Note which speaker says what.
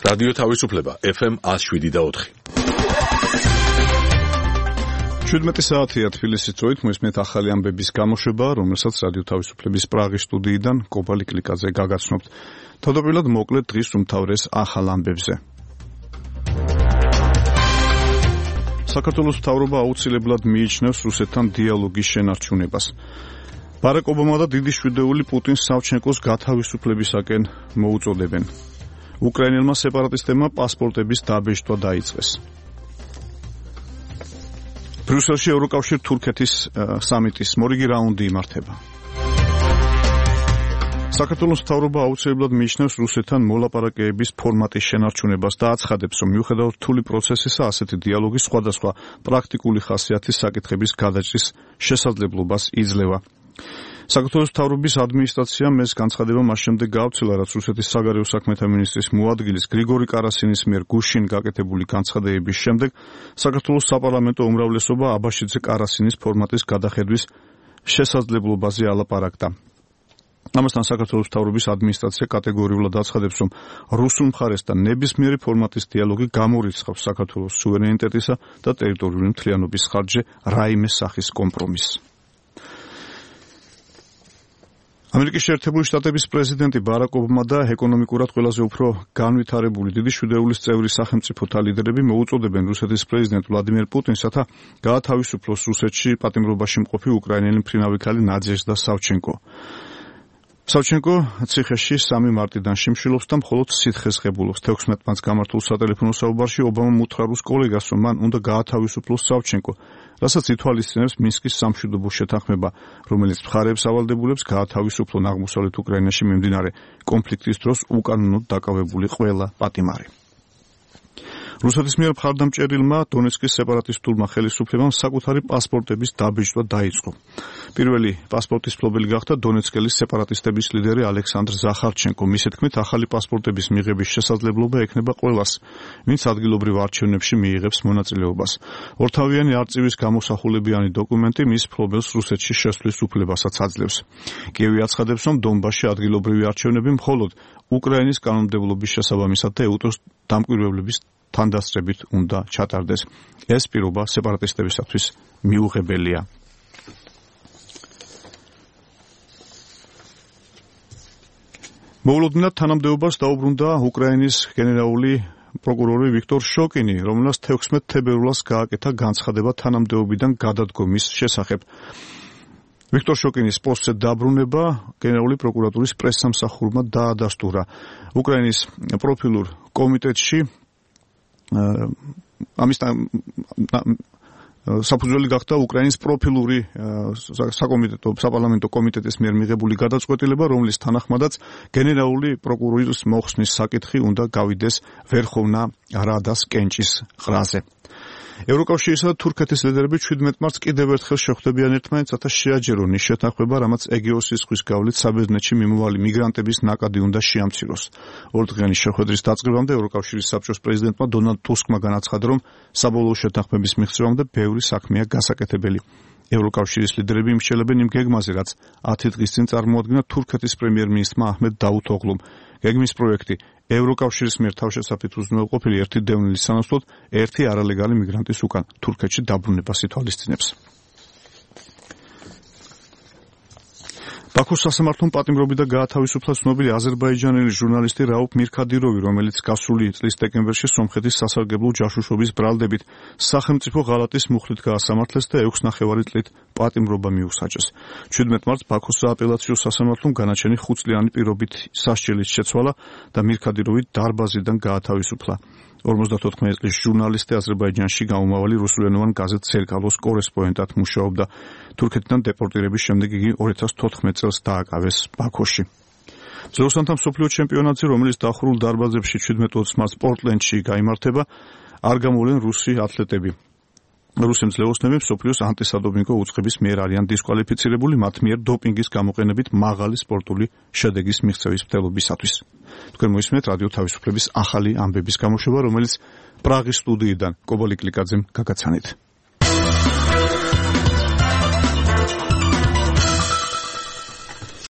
Speaker 1: რადიო თავისუფლება FM 107.4.
Speaker 2: 17 საათია თბილისის დროით მოისმენთ ახალი ამბების გამოშვება, რომელსაც რადიო თავისუფლების პრაღის სტუდიიდან კობალი კლიკაძე გაგაცნობთ. თავდაპირველად მოკლედ დღის უმთავრეს ახალ ამბებზე. საქართველოს მთავრობა აუცილებლად მიიჩნევს რუსეთთან დიალოგის შენარჩუნებას. ბარაკ ობამა და დიდი შვიდეული პუტინს სავჩენკოს გათავისუფლებისაკენ მოუწოდებენ. უკრაინელმა სეპარატისტებმა პასპორტების დაბეჭდვა დაიწყეს. ბრიუსელში ევროკავშირ-თურქეთის სამიტის მორიგი რაუნდი იმართება. საქართველოს მთავრობა აუცილებლად მიიჩნევს რუსეთთან მოლაპარაკებების ფორმატის შენარჩუნებას და აცხადებს, რომ მიუხედავად რთული პროცესისა, ასეთი დიალოგი სხვადასხვა პრაქტიკული ხასიათის საკითხების გადაჭრის შესაძლებლობას იძლევა. საქართველოს მთავრობის ადმინისტრაციამ ეს განცხადება მას შემდეგ გაავრცელა, რაც რუსეთის საგარეო საქმეთა მინისტრის მოადგილის გრიგორი კარასინის მიერ გუშინ გაკეთებული განცხადებების შემდეგ საქართველოს საპარლამენტო უმრავლესობა აბაშიძე კარასინის ფორმატის გადახედვის შესაძლებლობაზე ალაპარაკდა. ამასთან საქართველოს მთავრობის ადმინისტრაცია კატეგორიულად აცხადებს, რომ რუსულ მხარესთან ნებისმიერი ფორმატის დიალოგი გამორიცხავს საქართველოს სუვერენიტეტისა და ტერიტორიული მთლიანობის ხარჯზე რაიმე სახის კომპრომისს. ამერიკის შეერთებული შტატების პრეზიდენტი ბარაკ ობამა და ეკონომიკურად ყველაზე უფრო განვითარებული დიდი შვიდეულის წევრი სახელმწიფოთა ლიდერები მოუწოდებენ რუსეთის პრეზიდენტ ვლადიმერ პუტინს, რათა გაათავისუფლოს რუსეთში პატიმრობაში მყოფი უკრაინელი მფრინავი ქალი ნადეჟდა სავჩენკო. სავჩენკო ციხეში 3 მარტიდან შიმშილობს და მხოლოდ სითხეს ღებულობს. 16 მარტს გამართულ სატელეფონო საუბარში ობამამ უთხრა რუს კოლეგას, რომ მან უნდა გაათავისუფლოს სავჩენკო, რასაც ითვალისწინებს მინსკის სამშვიდობო შეთანხმება, რომელიც მხარეებს ავალდებულებს გაათავისუფლონ აღმოსავლეთ უკრაინაში მიმდინარე კონფლიქტის დროს უკანონოდ დაკავებული ყველა პატიმარი. რუსეთის მიერ მხარდამჭერილმა დონეცკის სეპარატისტულმა ხელისუფლებამ საკუთარი პასპორტების დაბეჭდვა დაიწყო. პირველი პასპორტის მფლობელი გახდა დონეცკელის სეპარატისტების ლიდერი ალექსანდრ ზახარჩენკო. მისი თქმით, ახალი პასპორტების მიღების შესაძლებლობა ექნება ყველას, ვინც ადგილობრივ არჩევნებში მიიღებს მონაწილეობას. ორთავიანი არწივის გამოსახულებიანი დოკუმენტი მის მფლობელს რუსეთში შესვლის უფლებასაც აძლევს. კიევი აცხადებს, რომ დონბასში ადგილობრივი არჩევნები მხოლოდ უკრაინის კანონმდებლობის შესაბამისად და ეუტოს დამკვირვებლების თანდასწრებით უნდა ჩატარდეს. ეს პირობა სეპარატისტებისათვის მიუღებელია. მოულოდნელად თანამდებობას დაუბრუნდა უკრაინის გენერალური პროკურორი ვიქტორ შოკინი, რომელსაც 16 თებერვალს გააკეთა განცხადება თანამდებობიდან გადადგომის შესახებ. ვიქტორ შოკინის პოსტზე დაბრუნება გენერალური პროკურატურის პრესსამსახურმა დაადასტურა. უკრაინის პროფილურ კომიტეტში ამისთან საფუძველი გახდა უკრაინის პროფილური საპარლამენტო კომიტეტის მიერ მიღებული გადაწყვეტილება, რომლის თანახმადაც გენერალური პროკურორის მოხსნის საკითხი უნდა გავიდეს ვერხოვნა რადას კენჭის ყრაზე. ევროკავშირისა და თურქეთის ლიდერები 17 მარტს კიდევ ერთხელ შეხვდებიან ერთმანეთს, რათა შეაჯერონ ის შეთანხმება, რამაც ეგეოსის ზღვის გავლით საბერძნეთში მიმოვალი მიგრანტების ნაკადი უნდა შეამციროს. ორდღიანი შეხვედრის დაწყებამდე ევროკავშირის საბჭოს პრეზიდენტმა დონალდ ტუსკმა განაცხადა, რომ საბოლოო შეთანხმების მიღწევამდე ბევრი საქმეა გასაკეთებელი. ევროკავშირის ლიდერები იმსჯელებენ იმ გეგმაზე, რაც 10 დღის წინ წარმოადგინა თურქეთის პრემიერ-მინისტრმა აჰმედ დავუთოღლუმ. გეგმის პროექტი ევროკავშირის მიერ თავშესაფრით უზრუნველყოფილი ერთი დევნილის სანაცვლოდ ერთი არალეგალი მიგრანტის უკან თურქეთში დაბრუნებას ითვალისწინებს. ბაქოს სასამართლომ პატიმრობით და გაათავისუფლა ცნობილი აზერბაიჯანელი ჟურნალისტი რაუფ მირქადიროვი, რომელიც გასული წლის დეკემბერში სომხეთის სასარგებლო ჯაშუშობის ბრალდებით სახელმწიფო ღალატის მუხლით გაასამართლეს და 6,5 წლით პატიმრობა მიუსაჯეს. 17 მარტს ბაქოს სააპელაციო სასამართლომ განაჩენი 5 წლიანი პირობით სასჯელით შეცვალა და მირქადიროვი დარბაზიდან გაათავისუფლა. 54 წლის ჟურნალისტი აზერბაიჯანში გამომავალი რუსულენოვან გაზეთ სერკალოს კორესპონდენტად მუშაობდა. თურქეთიდან დეპორტირების შემდეგ იგი 2014 წელს დააკავეს ბაქოში. ძროხანთა მსოფლიო ჩემპიონატზე, რომელიც დახურულ დარბაზებში 17-20 მარტს პორტლენდში გაიმართება, არ გამოვლენ რუსი ათლეტები. რუსი მძლეოსნები მსოფლიოს ანტისადოპინგო უწყების მიერ არიან დისკვალიფიცირებული მათ მიერ დოპინგის გამოყენებით მაღალი სპორტული შედეგის მიღწევის მცდელობისათვის. თქვენ მოისმენთ რადიო თავისუფლების ახალი ამბების გამოშვება, რომელიც პრაღის სტუდიიდან კობალი კლიკაძემ გაგაცანით.